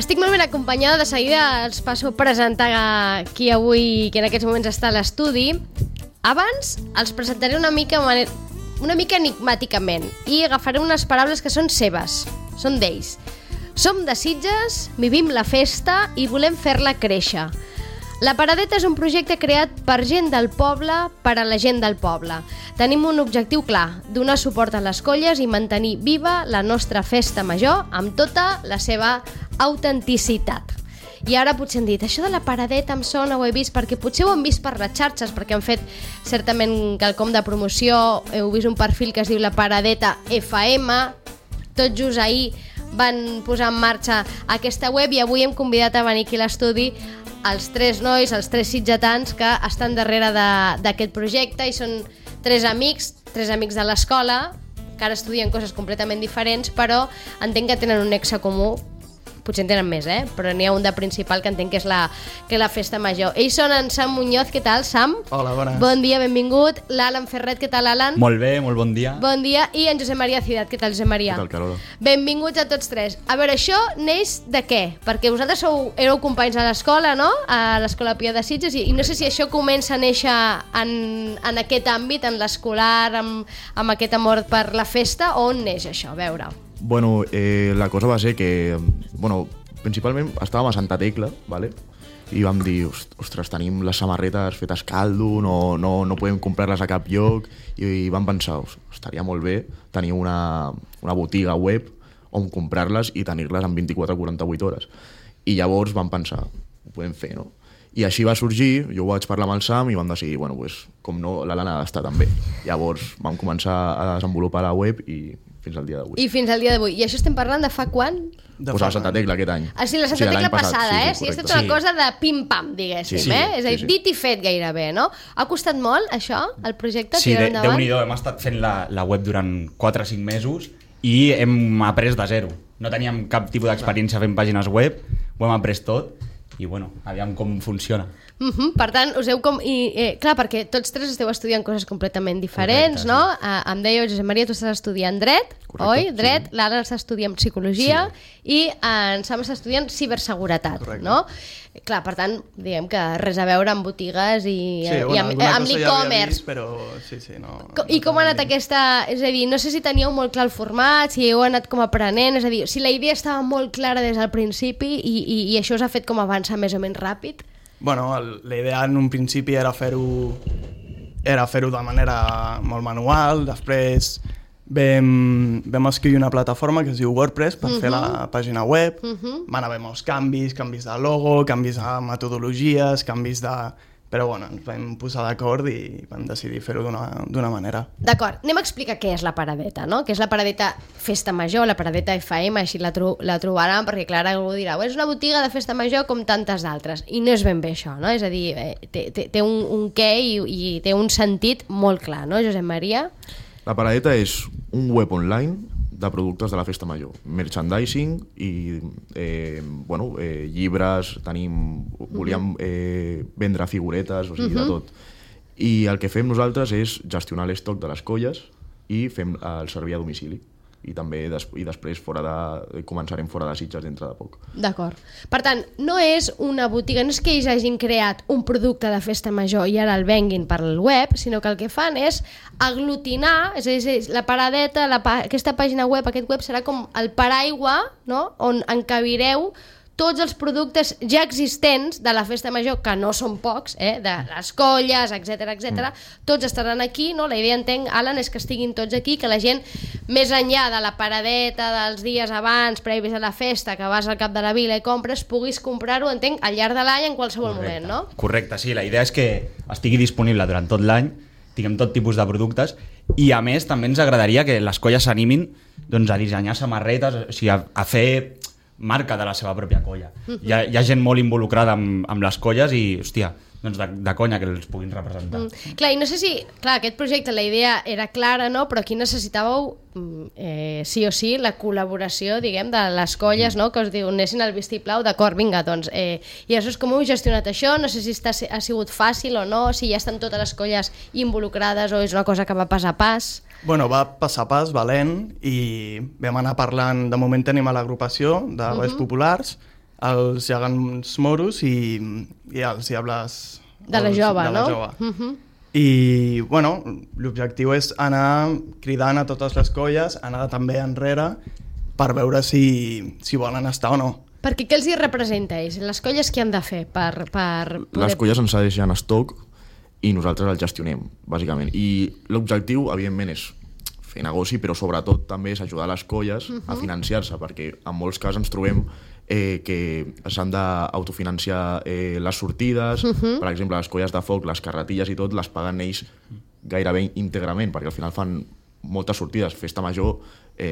Estic molt ben acompanyada, de seguida els passo a presentar qui avui, que en aquests moments està a l'estudi. Abans els presentaré una mica enigmàticament i agafaré unes paraules que són seves, són d'ells. Som de Sitges, vivim la festa i volem fer-la créixer. La Paradeta és un projecte creat per gent del poble, per a la gent del poble. Tenim un objectiu clar, donar suport a les colles i mantenir viva la nostra festa major amb tota la seva autenticitat. I ara potser hem dit, això de la Paradeta em sona, ho he vist, perquè potser ho hem vist per les xarxes, perquè han fet certament quelcom de promoció, heu vist un perfil que es diu la Paradeta FM, tot just ahir van posar en marxa aquesta web i avui hem convidat a venir aquí a l'estudi els tres nois, els tres sitgetans que estan darrere d'aquest projecte i són tres amics de l'escola que ara estudien coses completament diferents, però entenc que tenen un nexe comú. Potser en tenen més, però n'hi ha un de principal que entenc que és la festa major. Ells són en Sam Muñoz, què tal, Sam? Hola, bones. Bon dia, benvingut. L'Alan Ferret, què tal, Alan? Molt bé, molt bon dia. Bon dia. I en Josep Maria Ciutat, què tal, Josep Maria? Què tal, Carola? Benvinguts a tots tres. A veure, això neix de què? Perquè vosaltres éreu companys a l'escola, no? A l'Escola Pia de Sitges, i no sé si això comença a néixer en aquest àmbit, en l'escolar, amb aquest amor per la festa, o on neix això? A veure. Bueno, la cosa va ser que, principalment estàvem a Santa Tecla, ¿vale? I vam dir, ostres, tenim les samarretes fetes caldo, no podem comprar-les a cap lloc, i vam pensar, estaria molt bé tenir una botiga web on comprar-les i tenir-les en 24 o 48 hores. I llavors vam pensar, ho podem fer, no? I així va sorgir, jo ho vaig parlar amb el Sam i vam decidir, com no, l'Alana ha d'estar també. Llavors vam començar a desenvolupar la web i fins al dia d'avui. I fins al dia d'avui. I això estem parlant de fa quan? Pues a Santa Tecla aquest any. Ah, sí, la Santa Tecla passada, sí, és tota una cosa de pim-pam, diguéssim, sí, És a dir, dit i fet gairebé, no? Ha costat molt, això, el projecte, sí, tirar endavant? Déu-n'hi-do, hem estat fent la web durant 4 o 5 mesos i hem après de zero. No teníem cap tipus d'experiència fent pàgines web, ho hem après tot i, aviam com funciona. Per tant, us heu clar, perquè tots tres esteu estudiant coses completament diferents, correcte, no? Em dèieu, Josep Maria, tu estàs estudiant dret, correcte, oi? Dret, sí. l'Alan està estudiant psicologia i en Sam està estudiant ciberseguretat, correcte. No? Clar, per tant, diguem que res a veure amb botigues i amb l'e-commerce. Però sí, no. I com ha anat aquesta... És a dir, no sé si teníeu molt clar el format, si heu anat com aprenent, és a dir, si la idea estava molt clara des del principi i això us ha fet com avançar més o menys ràpid? Bueno, la idea en un principi era fer-ho de manera molt manual, després vam escriure una plataforma que es diu WordPress per fer la pàgina web, van haver molts canvis de logo, canvis de metodologies, canvis de... Però ens vam posar d'acord i vam decidir fer-ho d'una manera. D'acord, anem a explicar què és la Paradeta, no? Què és la Paradeta Festa Major, la Paradeta FM, així la trobaran, perquè clar, algú dirà, és una botiga de festa major com tantes d'altres, i no és ben bé això, no? És a dir, té un què i té un sentit molt clar, no, Josep Maria? La Paradeta és un web online de productes de la festa major, merchandising i llibres, volíem vendre figuretes, o sigui, de tot. I el que fem nosaltres és gestionar l'estoc de les colles i fem el servir a domicili. I també després començarem fora de Sitges dintre de poc. D'acord. Per tant, no és una botiga, no és que ells hagin creat un producte de festa major i ara el venguin per el web, sinó que el que fan és aglutinar, és a dir, la Paradeta, aquesta pàgina web, aquest web serà com el paraigua, no?, on encabireu tots els productes ja existents de la festa major, que no són pocs, de les colles, etc. Tots estaran aquí, no? La idea, entenc, Alan, és que estiguin tots aquí, que la gent, més enllà de la paradeta dels dies abans, previs a la festa, que vas al cap de la vila i compres, puguis comprar-ho, entenc, al llarg de l'any, en qualsevol moment, no? Correcte, sí, la idea és que estigui disponible durant tot l'any, tinguem tot tipus de productes, i a més també ens agradaria que les colles s'animin a dissenyar samarretes, o sigui, a fer marca de la seva pròpia colla. Hi ha gent molt involucrada amb les colles i, hòstia, de conya que els puguin representar. Clar, i no sé si... Clar, aquest projecte, la idea era clara, no? Però aquí necessitàveu, sí o sí, la col·laboració, diguem, de les colles, no? Que us diuen, anessin al vistiplau, d'acord, vinga, doncs. I això és com heu gestionat això? No sé si ha sigut fàcil o no, si ja estan totes les colles involucrades o és una cosa que va pas a pas. Bueno, va pas a pas, valent, i vam anar parlant, de moment tenim a l'agrupació de Boies Populars, els gegants moros i els diables... De la jove, no? I, bueno, l'objectiu és anar cridant a totes les colles, anar també enrere per veure si volen estar o no. Perquè què els hi representa ells? Les colles què han de fer per poder... Les colles ens deixen estoc i nosaltres el gestionem, bàsicament. I l'objectiu, evidentment, és fer negoci, però sobretot també és ajudar les colles a financiar-se, perquè en molts casos ens trobem que s'han d'autofinanciar les sortides, per exemple, les colles de foc, les carretilles i tot, les paguen ells gairebé íntegrament, perquè al final fan moltes sortides. Festa Major,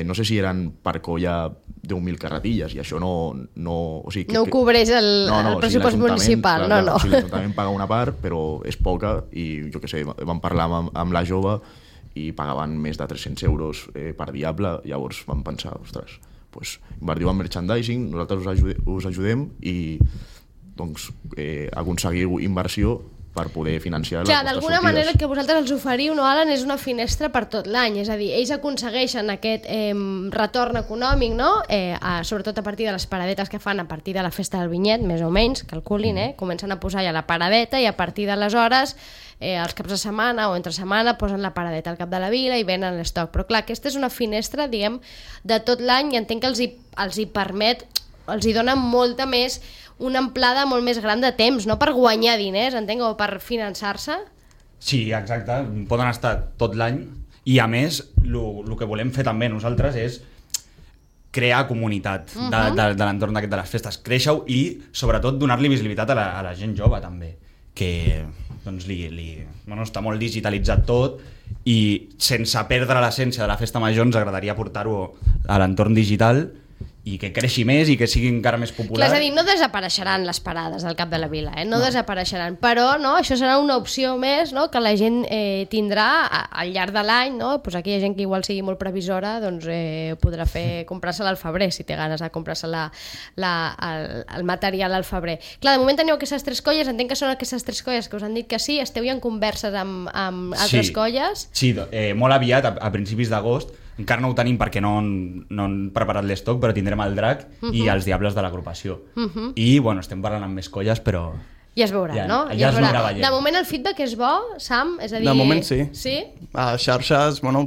no sé si eren per colla 10.000 carretilles, i això no o sigui, no ho cobreix el pressupost municipal, clar, no. O sigui, l'Ajuntament paga una part, però és poca, i jo què sé, vam parlar amb la jove i pagaven més de 300 euros per diable, llavors vam pensar, ostres, pues, invertiu en merchandising, nosaltres us ajudem i doncs, aconseguiu inversió per poder financiar les vostres d'alguna sortides. manera el que vosaltres els oferiu, no, Alan, és una finestra per tot l'any, és a dir, ells aconsegueixen aquest retorn econòmic, no? Sobretot a partir de les paradetes que fan a partir de la festa del vinyet, més o menys, calculin, comencen a posar ja la paradeta i a partir d'aleshores els caps de setmana o entre setmana posen la paradeta al cap de la vila i venen l'estoc. Però clar, aquesta és una finestra, diguem, de tot l'any i entenc que els hi permet, els hi dona molta més, una amplada molt més gran de temps, no per guanyar diners, entenc, o per finançar-se. Sí, exacte, poden estar tot l'any i a més el que volem fer també nosaltres és crear comunitat de l'entorn d'aquest de les festes, créixer-ho i sobretot donar-li visibilitat a la gent jove també, que doncs, està molt digitalitzat tot i sense perdre l'essència de la festa major ens agradaria portar-ho a l'entorn digital i que creixi més i que sigui encara més popular. Clar, és a dir, no desapareixeran les parades al cap de la vila, no desapareixeran, però no, això serà una opció més, no, que la gent tindrà al llarg de l'any, no? Pues aquella gent que igual sigui molt previsora doncs, podrà comprar-se-la al febrer, si té ganes de comprar-se el material al febrer. Clar, de moment teniu aquestes 3 colles, entenc que són aquestes 3 colles que us han dit que sí, esteu ja en converses amb altres colles? Sí, molt aviat, a principis d'agost. Encara no ho tenim perquè no han preparat l'estoc, però tindrem el drac i els diables de l'agrupació. I, bueno, estem parlant amb més colles, però... Ja es veurà, no? Ja es veurà veient. De moment el feedback és bo, Sam? És a dir... De moment sí. Sí? A xarxes, bueno,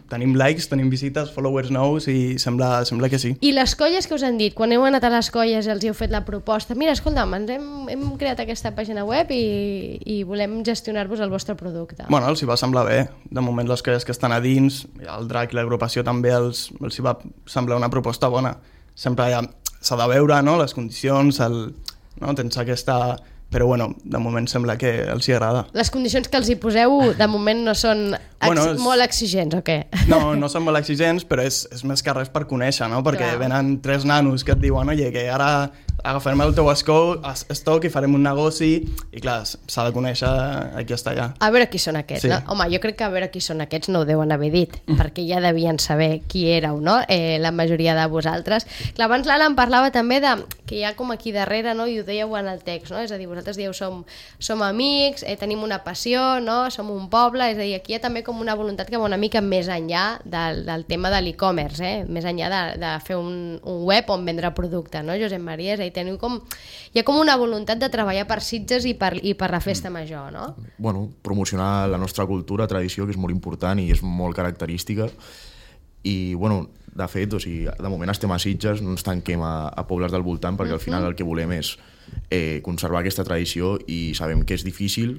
tenim likes, tenim visites, followers nous i sembla que sí. I les colles que us han dit, quan heu anat a les colles i els heu fet la proposta, mira, escolta'm, hem creat aquesta pàgina web i volem gestionar-vos el vostre producte. Bueno, els hi va semblar bé. De moment les colles que estan a dins, el drac i l'agrupació també els hi va semblar una proposta bona. Sempre s'ha de veure, no?, les condicions, tens aquesta... Però, bueno, de moment sembla que els hi agrada. Les condicions que els hi poseu, de moment, no són molt exigents, o què? No són molt exigents, però és més que res per conèixer, no? Perquè venen 3 nanos que et diuen, oye, que ara agafarem el teu estoc i farem un negoci, i clar, s'ha de conèixer a qui està allà. A veure qui són aquests, sí. No? Home, jo crec que a veure qui són aquests no ho deuen haver dit, perquè ja devien saber qui éreu, no? La majoria de vosaltres. Clar, abans l'Alan parlava també de que hi ha com aquí darrere, no? I ho dèieu en el text, no? És a dir, vosaltres dieu som amics, tenim una passió, no? Som un poble, és a dir, aquí hi ha també com una voluntat que va una mica més enllà del tema de l'e-commerce, més enllà de fer un web on vendre producte, no, Josep Maria? És a dir, hi ha com una voluntat de treballar per Sitges i per la festa major, no? Bueno, promocionar la nostra cultura, tradició, que és molt important i és molt característica. I, bueno, de fet, o sigui, de moment estem a Sitges, no ens tanquem a pobles del voltant, perquè al final el que volem és conservar aquesta tradició i sabem que és difícil,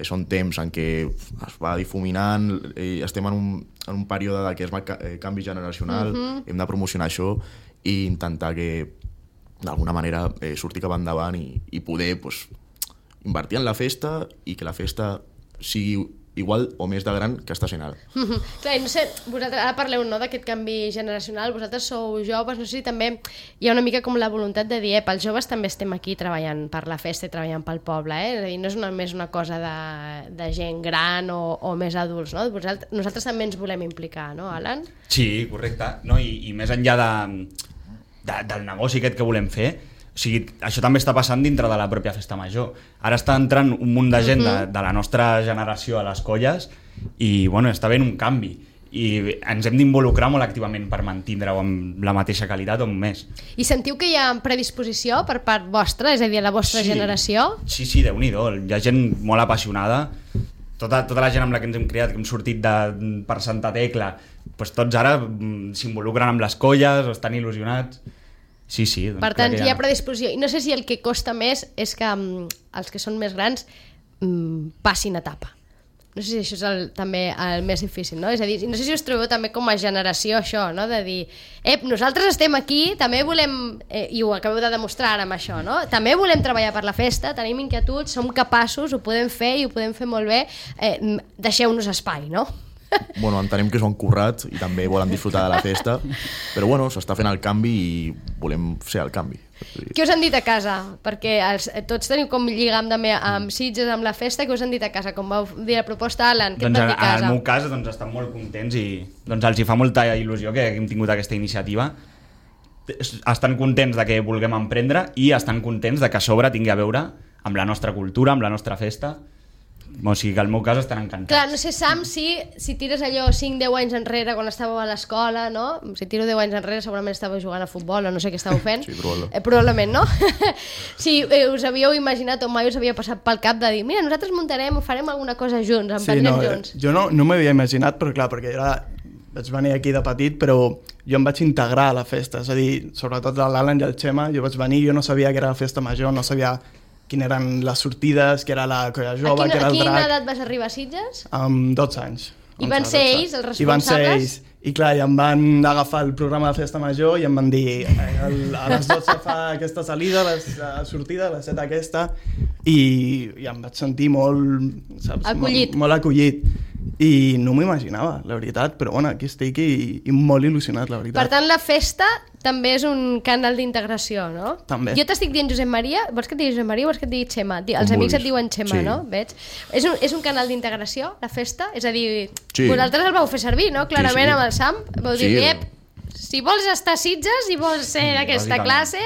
són temps en què es va difuminant, estem en un període que és canvi generacional, hem de promocionar això i intentar que d'alguna manera sortir cap endavant i poder invertir en la festa i que la festa sigui igual o més de gran que està sent ara. Clar, no sé, vosaltres ara parleu, no, d'aquest canvi generacional, vosaltres sou joves, no sé si també hi ha una mica com la voluntat de dir, els joves també estem aquí treballant per la festa i treballant pel poble, és a dir, no és només una cosa de gent gran o més adults, no? Nosaltres també ens volem implicar, no, Alan? Sí, correcte, no? I més enllà del negoci aquest que volem fer, o sigui, això també està passant dintre de la pròpia festa major. Ara està entrant un munt de gent de la nostra generació a les colles i, bueno, està havent un canvi. i ens hem d'involucrar molt activament per mantindre-ho amb la mateixa qualitat o més. I sentiu que hi ha predisposició per part vostra, és a dir, a la vostra generació? Sí, déu-n'hi-do, hi ha gent molt apassionada, tota la gent amb la que ens hem criat, que hem sortit per Santa Tecla, doncs tots ara s'involucren amb les colles o estan il·lusionats. Sí, doncs per tant, hi ha predisposició. I no sé si el que costa més és que els que són més grans passin etapa. No sé si això és també el més difícil, no? És a dir, no sé si us trobeu també com a generació això, no? De dir, nosaltres estem aquí, també volem, i ho acabeu de demostrar ara amb això, no? També volem treballar per la festa, tenim inquietuds, som capaços, ho podem fer i ho podem fer molt bé, deixeu-nos espai, no? Bueno, entenem que s'ho han currat i també volen disfrutar de la festa, però bueno, s'està fent el canvi i volem ser el canvi. Què us han dit a casa? Perquè tots teniu com lligam també amb Sitges, amb la festa. Què us han dit a casa? Com vau dir la proposta, Alan? Què et van dir a casa? En el meu cas estan molt contents i els hi fa molta il·lusió que hem tingut aquesta iniciativa. Estan contents de que vulguem emprendre i estan contents de que a sobre tingui a veure amb la nostra cultura, amb la nostra festa. O sigui que al meu cas estan encantats. Clar, no sé, Sam, si tires allò 5-10 anys enrere quan estàveu a l'escola, no? Si tiro 10 anys enrere segurament estàveu jugant a futbol o no sé què estàveu fent. Sí, probablement, no? Si us havíeu imaginat o mai us havia passat pel cap de dir mira, nosaltres muntarem o farem alguna cosa junts, emprendrem junts. Jo no m'havia imaginat, però clar, perquè vaig venir aquí de petit, però jo em vaig integrar a la festa, és a dir, sobretot l'Alan i el Xema, jo vaig venir, jo no sabia que era la festa major, no sabia quines eren les sortides, que era la colla jove, que era el drac. A quina edat vas arribar a Sitges? Amb 12 anys. I van ser ells els responsables? I van ser ells. I clar, i em van agafar el programa de festa major i em van dir a les 12 fa aquesta salida, la sortida, a les 7 aquesta, i em vaig sentir molt, saps? Acollit. Molt acollit. I no m'ho imaginava, la veritat, però bueno, aquí estic i molt il·lusionat, la veritat. Per tant, la festa també és un canal d'integració, no? També. Jo t'estic dient Josep Maria, vols que et digui Josep Maria o vols que et digui Xema? Els amics et diuen Xema, sí. No? Veig? És un canal d'integració, la festa? És a dir, sí. Vosaltres el vau fer servir, no? Clarament sí. Amb el Sam, vau dir, si vols estar a Sitges, si vols ser d'aquesta classe,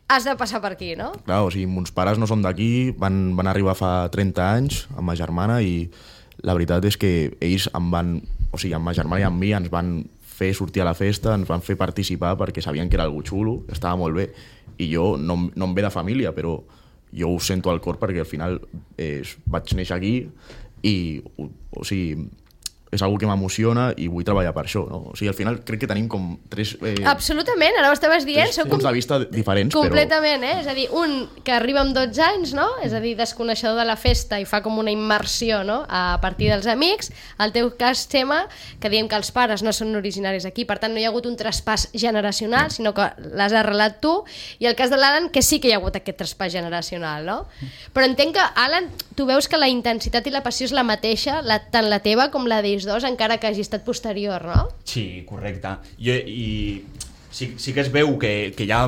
has de passar per aquí, no? Clar, o sigui, mons pares no són d'aquí, van arribar fa 30 anys amb ma germana i la veritat és que ells amb ma germana i amb mi ens van fer sortir a la festa, ens van fer participar perquè sabien que era algo xulo, estava molt bé, i jo no em ve de família, però jo ho sento al cor perquè al final vaig néixer aquí i o sigui, és algo que m'emociona i vull treballar per això, no? O sigui, al final crec que tenim com tres... Absolutament, ara ho estaves dient. Tres punts de vista diferents, completament, però... És a dir, un que arriba amb 12 anys, no? És a dir, desconeixedor de la festa i fa com una immersió, no? A partir dels amics. El teu cas, Xema, que diem que els pares no són originaris aquí, per tant no hi ha hagut un traspàs generacional, sinó que l'has arrelat tu, i el cas de l'Alan, que sí que hi ha hagut aquest traspàs generacional, no? Però entenc que, Alan, tu veus que la intensitat i la passió és la mateixa, tant la teva com la d'ells dos, encara que hagi estat posterior, no? Sí, correcte. I sí que es veu que hi ha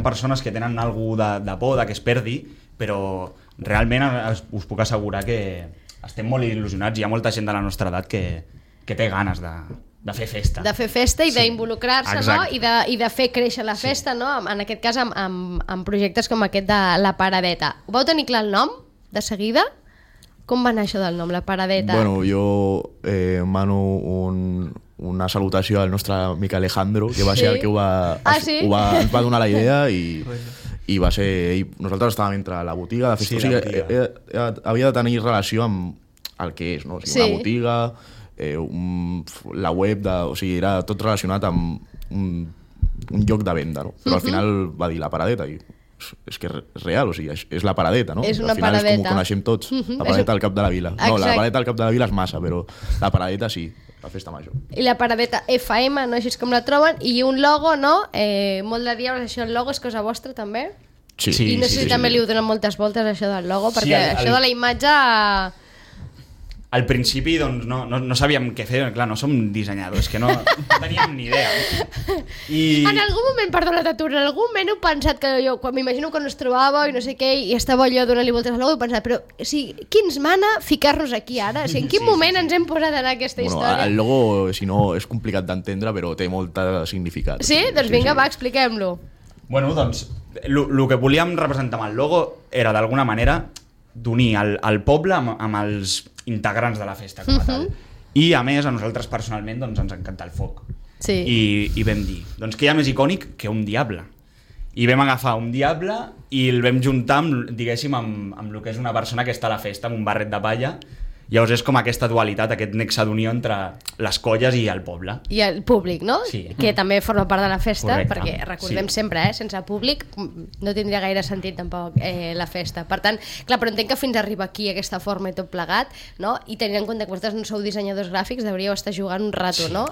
persones que tenen alguna de por de que es perdi, però realment us puc assegurar que estem molt il·lusionats. Hi ha molta gent de la nostra edat que té ganes de fer festa. De fer festa i d'involucrar-se, no? I de fer créixer la festa, no? En aquest cas amb projectes com aquest de la Paradeta. Ho vau tenir clar el nom, de seguida? Com va anar això del nom, la Paradeta? Bueno, jo mano una salutació al nostre amic Alejandro, que va ser el que ens va donar la idea i va ser ell. Nosaltres estàvem entre la botiga, de festa, o sigui, havia de tenir relació amb el que és, no? O sigui, una botiga, la web, o sigui, era tot relacionat amb un lloc de venda, no? Però al final va dir la Paradeta i és que és real, o sigui, és la Paradeta, no? És una al final paradeta. És com ho coneixem tots, la Paradeta al Cap de la Vila. No, la Paradeta al Cap de la Vila és massa, però la Paradeta sí, la festa major. I la Paradeta FM, no? Així és com la troben, i un logo, no? Molt de diables, això el logo és cosa vostra també? Sí. I no sé si també li ho donen moltes voltes això del logo, perquè això de la imatge... Al principi doncs, no sabíem què fer, clar, no som dissenyadors, que no teníem ni idea. En algun moment, perdona, t'aturo, en algun moment heu pensat que jo, quan m'imagino que no es trobava i no sé què, i estava allò donant-li voltes al logo, he pensat, però o sigui, qui ens mana ficar-nos aquí ara? O sigui, en quin moment ens hem posat en aquesta història? El logo, si no, és complicat d'entendre, però té molt significat. Sí? Doncs vinga, va, expliquem-lo. Bueno, doncs, el que volíem representar amb el logo era, d'alguna manera, d'unir el poble amb els integrants de la festa com a tal. I a més, a nosaltres personalment doncs, ens encanta el foc. Sí. I vam dir, doncs què hi ha més icònic que un diable? I vam agafar un diable i el vam juntar amb, diguéssim, amb el que és una persona que està a la festa amb un barret de palla. Llavors és com aquesta dualitat, aquest nexe d'unió entre les colles i el poble. I el públic, no? Sí. Que també forma part de la festa, Correcte. perquè recordem sempre, sense públic no tindria gaire sentit tampoc la festa. Per tant, clar, però entenc que fins a arribar aquí aquesta forma i tot plegat, no? I tenint en compte que vosaltres no sou dissenyadors gràfics, devríeu estar jugant un rato, no?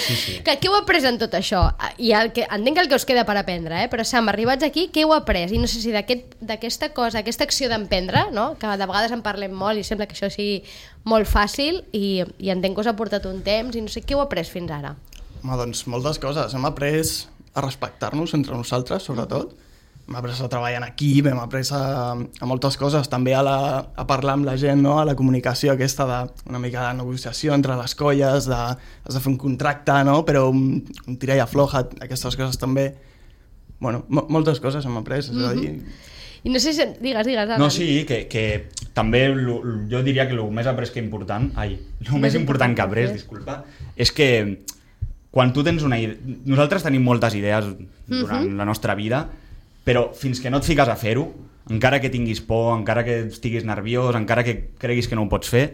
Sí. Què heu après en tot això? I entenc el que us queda per aprendre, però Sam, arribats aquí, què heu après? I no sé si d'aquesta cosa, aquesta acció d'emprendre, no? Que de vegades en parlem molt i sembla que això sigui molt fàcil i entenc que us ha portat un temps i no sé què heu après fins ara. Home, doncs moltes coses. Hem après a respectar-nos entre nosaltres, sobretot. Hem après a treballar en equip, hem après a moltes coses, també a parlar amb la gent, no? A la comunicació aquesta una mica de negociació entre les colles, has de fer un contracte, no? Però un tira i afloja, aquestes coses també. Bueno, moltes coses hem après, és a dir... I no sé si... Digues, Alan. No, sí, que també jo diria que el més après que important... el més important que après, disculpa, és que quan tu tens una idea... Nosaltres tenim moltes idees durant la nostra vida, però fins que no et fiques a fer-ho, encara que tinguis por, encara que estiguis nerviós, encara que creguis que no ho pots fer,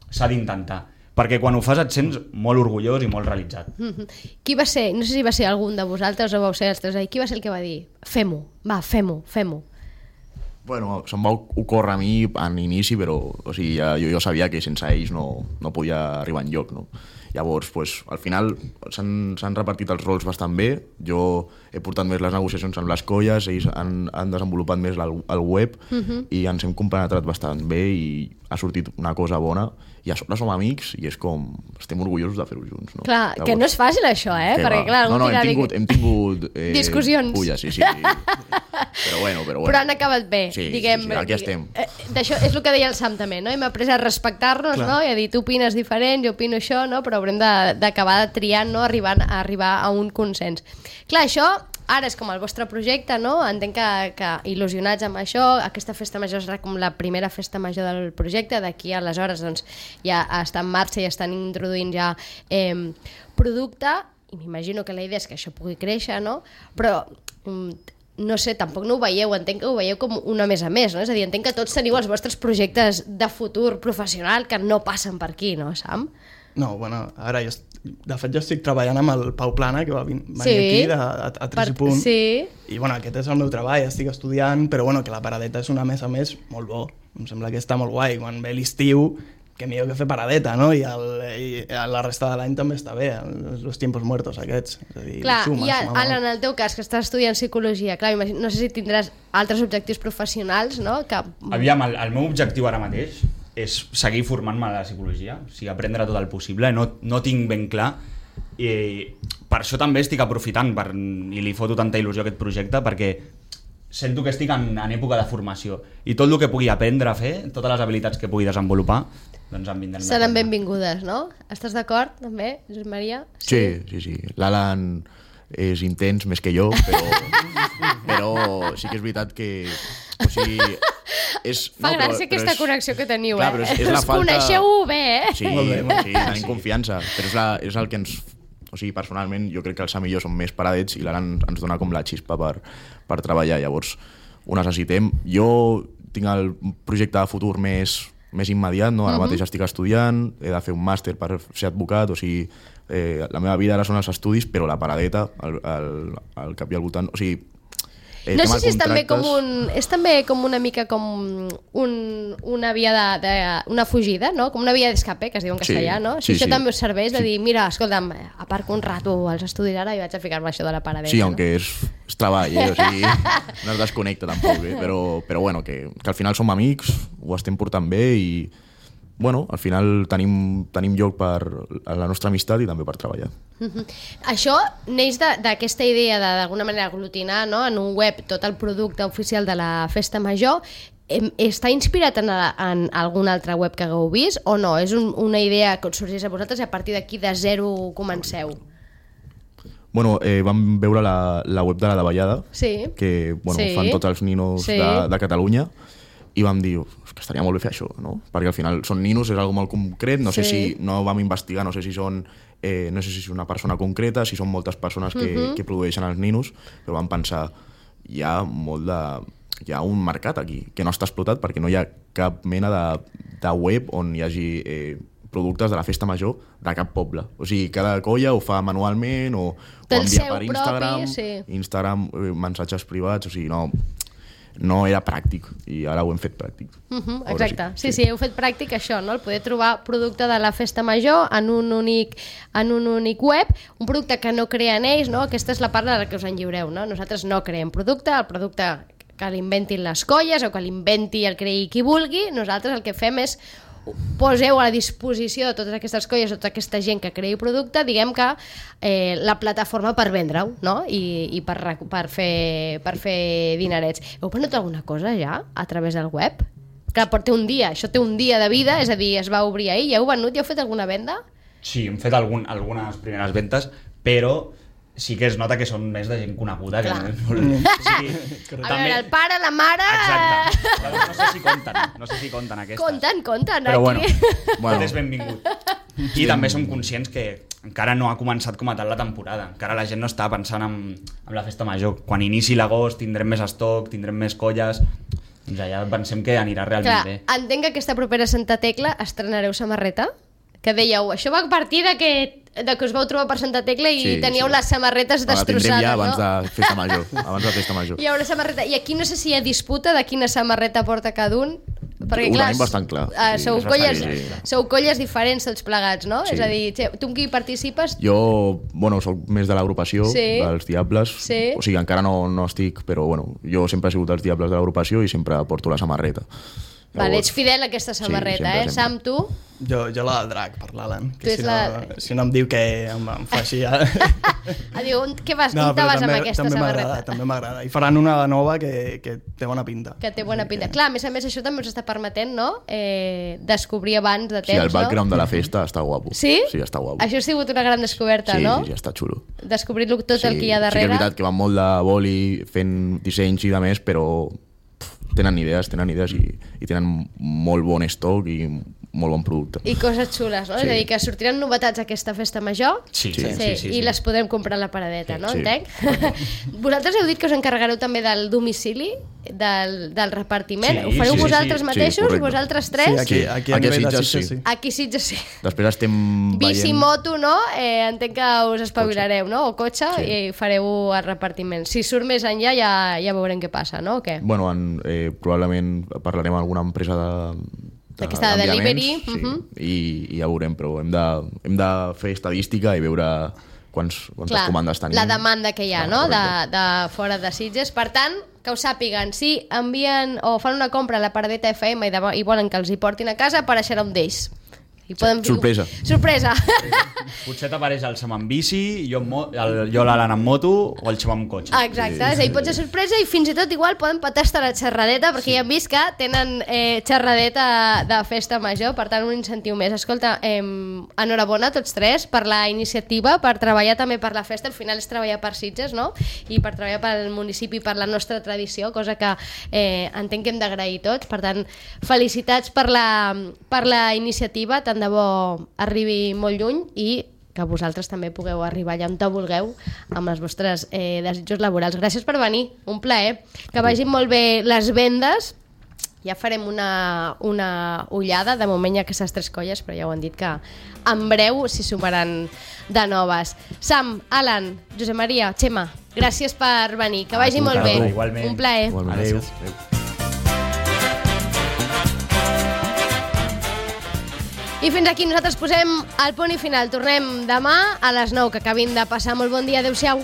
s'ha d'intentar. Perquè quan ho fas et sents molt orgullós i molt realitzat. Qui va ser? No sé si va ser algun de vosaltres o vau ser els tres. Qui va ser el que va dir? Fem-ho, va, fem-ho. Bueno, se'm va ocórrer a mi en inici, però o sigui, jo sabia que sense ells no podia arribar enlloc, no? Llavors, pues, al final s'han repartit els rols bastant bé. Jo he portat més les negociacions amb les colles, ells han desenvolupat més el web i ens hem compenetrat bastant bé i ha sortit una cosa bona i a sobre som amics i és com... estem orgullosos de fer-ho junts, no? Clar, llavors, que no és fàcil això, perquè clar... hem tingut discussions. Pulles, sí. Però bueno. Però han acabat bé, sí, diguem. Sí, aquí estem. D'això és el que deia el Sam també, no? Hem après a respectar-nos, no? I a dir, tu opines diferent, jo opino això, no? Però haurem d'acabar triant, no? Arribar a un consens. Clar, això ara és com el vostre projecte, no? Entenc que il·lusionats amb això, aquesta festa major serà com la primera festa major del projecte, d'aquí aleshores doncs, ja està en marxa i estan introduint ja producte, i m'imagino que la idea és que això pugui créixer, no? Però no sé, tampoc no ho veieu, entenc que ho veieu com una més a més, no? És a dir, entenc que tots teniu els vostres projectes de futur professional que no passen per aquí, no, Sam? No, bueno, ara de fet jo estic treballant amb el Pau Plana, que va venir aquí a 3 punt. Sí. I bueno, aquest és el meu treball, estic estudiant, però bueno, que la paradeta és una més a més molt bo. Em sembla que està molt guai. Quan ve l'estiu, que millor que fer paradeta, no? I la resta de l'any també està bé, els tiempos muertos aquests. És a dir, clar, i Alan, en el teu cas, que estàs estudiant psicologia, clar, no sé si tindràs altres objectius professionals, no? Aviam, el meu objectiu ara mateix és seguir formant-me a la psicologia, o sigui, aprendre tot el possible, no tinc ben clar, i per això també estic aprofitant i li foto tanta il·lusió a aquest projecte, perquè sento que estic en època de formació i tot el que pugui aprendre a fer, totes les habilitats que pugui desenvolupar, doncs em vindran. Seran benvingudes, no? Estàs d'acord també, Josep Maria? Sí. L'Alan és intens més que jo, però sí que és veritat que... O sigui, fa gràcia aquesta connexió que teniu, clar, però és la us falta... coneixeu bé, Sí, tenim confiança, però és el que ens... O sigui, personalment, jo crec que el Sam i jo som més paradets i l'Alan ens dona com la xispa per treballar. Llavors, ho necessitem. Jo tinc el projecte de futur més immediat, no? Ara mateix estic estudiant, he de fer un màster per ser advocat, o sigui, la meva vida ara són els estudis, però la paradeta, el cap i al voltant... O sigui, no sé si és també com una mica com una via una fugida, no? Com una via d'escape, que es diu en castellà, no? Si això també us serveix de dir, mira, escolta'm, aparco un rato als estudis ara i vaig a ficar-me això de la paradeta. Sí, aunque és treball, o sigui, no es desconnecta tampoc, però bueno, que al final som amics, ho estem portant bé i bueno, al final tenim lloc per a la nostra amistat i també per treballar. Això neix d'aquesta idea d'alguna manera aglutinar, no, en un web tot el producte oficial de la Festa Major. Està inspirat en alguna altra web que hagueu vist o no? És una idea que us sorgeix a vosaltres i a partir d'aquí de zero comenceu? Bueno, vam veure la web de la Davallada, sí. que bueno, sí. fan tots els ninos de Catalunya, i vam dir que estaria molt bé fer això, no? Perquè al final són ninos, és algo molt concret, no sé si no vam investigar, no sé si són no sé si és una persona concreta, si són moltes persones que produeixen els ninos, però vam pensar hi ha un mercat aquí que no està explotat perquè no hi ha cap mena de web on hi hagi productes de la festa major de cap poble. O sigui, cada colla ho fa manualment o envia per Instagram, mensatges privats, o sigui, no era pràctic i ara ho hem fet pràctic. Exacte, sí, heu fet pràctic això, no? El poder trobar producte de la festa major en un únic web, un producte que no creen ells, no? Aquesta és la part de la que us en lliureu, no? Nosaltres no creem producte, el producte que l'inventin les colles o que l'inventi el creï qui vulgui, nosaltres el que fem és poseu a la disposició de totes aquestes colles, tota aquesta gent que creï producte, diguem que la plataforma per vendre-ho, no? I per fer dinerets. Heu venut alguna cosa ja a través del web? Clar, té un dia, això té un dia de vida, és a dir, es va obrir ahir, ja heu venut, ja heu fet alguna venda? Sí, hem fet algunes primeres ventes, però sí que es nota que són més de gent coneguda. Que sí, a veure, el pare, la mare... Exacte. No sé si compten aquestes. Compten. Però aquí. Tot és benvingut. I també som conscients que encara no ha començat com a tal la temporada. Encara la gent no està pensant en la festa major. Quan inici l'agost tindrem més estoc, tindrem més colles... Doncs allà pensem que anirà realment bé. Entenc que aquesta propera Santa Tecla estrenareu samarreta? Que dèieu, això va a partir de que us vau trobar per Santa Tecla i teníeu les samarretes destrossades, ja abans de festa major. Hi haurà samarreta. I aquí no sé si hi ha disputa de quina samarreta porta cada un. Perquè, ho tenim bastant clar. Sou colles diferents tots plegats, no? Sí. És a dir, tu amb qui participes? Jo, soc més de l'agrupació, dels Diables. O sigui, encara no estic, però jo sempre he sigut dels Diables de l'agrupació i sempre porto la samarreta. Vale, ets fidel a aquesta samarreta, sempre. Sam, tu? Jo la del drac, per l'Alan. Si no em diu que em fa així... Diu, on te vas amb aquesta samarreta? També m'agrada. I faran una nova que té bona pinta. Que té bona pinta. Clar, a més, això també us està permetent, no? Descobrir abans de temps, el background de la festa està guapo. Sí? Sí, està guapo. Això ha sigut una gran descoberta, no? Sí, està xulo. Descobrir tot el que hi ha darrere. Sí que és veritat que van molt de boli fent dissenys i de més, però tenen idees i tenen molt bon estoc i molt bon producte. I coses xules, no? Sí. És a dir, que sortiran novetats a aquesta festa major sí. I les podrem comprar a la paradeta, no? Sí. Entenc? Vosaltres heu dit que us encarregareu també del domicili, del repartiment. Ho fareu vosaltres mateixos? Sí, vosaltres tres? Sí, aquí a nivell de Sitges, sí. Aquí Sitges, sí. Després estem Bici, moto, no? Entenc que us espavilareu, no? O cotxe, i fareu el repartiment. Si surt més enllà ja veurem què passa, no? O què? Probablement parlarem amb alguna empresa d'aquesta de delivery. I ja veurem, però hem de fer estadística i veure quantes comandes tenim. La demanda que hi ha, no? De fora de Sitges. Per tant, que ho sàpiguen, si envien o fan una compra a la Paradeta FM i volen que els hi portin a casa, apareixererà un d'ells. Sorpresa. Potser t'apareix el Sam amb bici, jo l'Alan amb moto o el Xema amb cotxe. Exacte, és a dir, pot ser sorpresa i fins i tot igual poden petar hasta la xerradeta perquè ja hem vist que tenen xerradeta de festa major, per tant un incentiu més. Escolta, enhorabona a tots tres per la iniciativa, per treballar també per la festa, al final és treballar per Sitges, no? I per treballar pel municipi, per la nostra tradició, cosa que entenc que hem d'agrair tots. Per tant, felicitats per la iniciativa, tant de bo arribi molt lluny i que vosaltres també pugueu arribar allà on vulgueu amb els vostres desitjos laborals. Gràcies per venir, un plaer. Que vagin molt bé les vendes. Ja farem una ullada, de moment hi ha aquestes tres colles, però ja ho han dit que en breu s'hi sumaran de noves. Sam, Alan, Josep Maria, Xema, gràcies per venir, que vagi molt bé. Igualment. Un plaer. Adéu. I fins aquí nosaltres posem el punt i final. Tornem demà a les 9, que acabin de passar molt bon dia. Adéu-siau.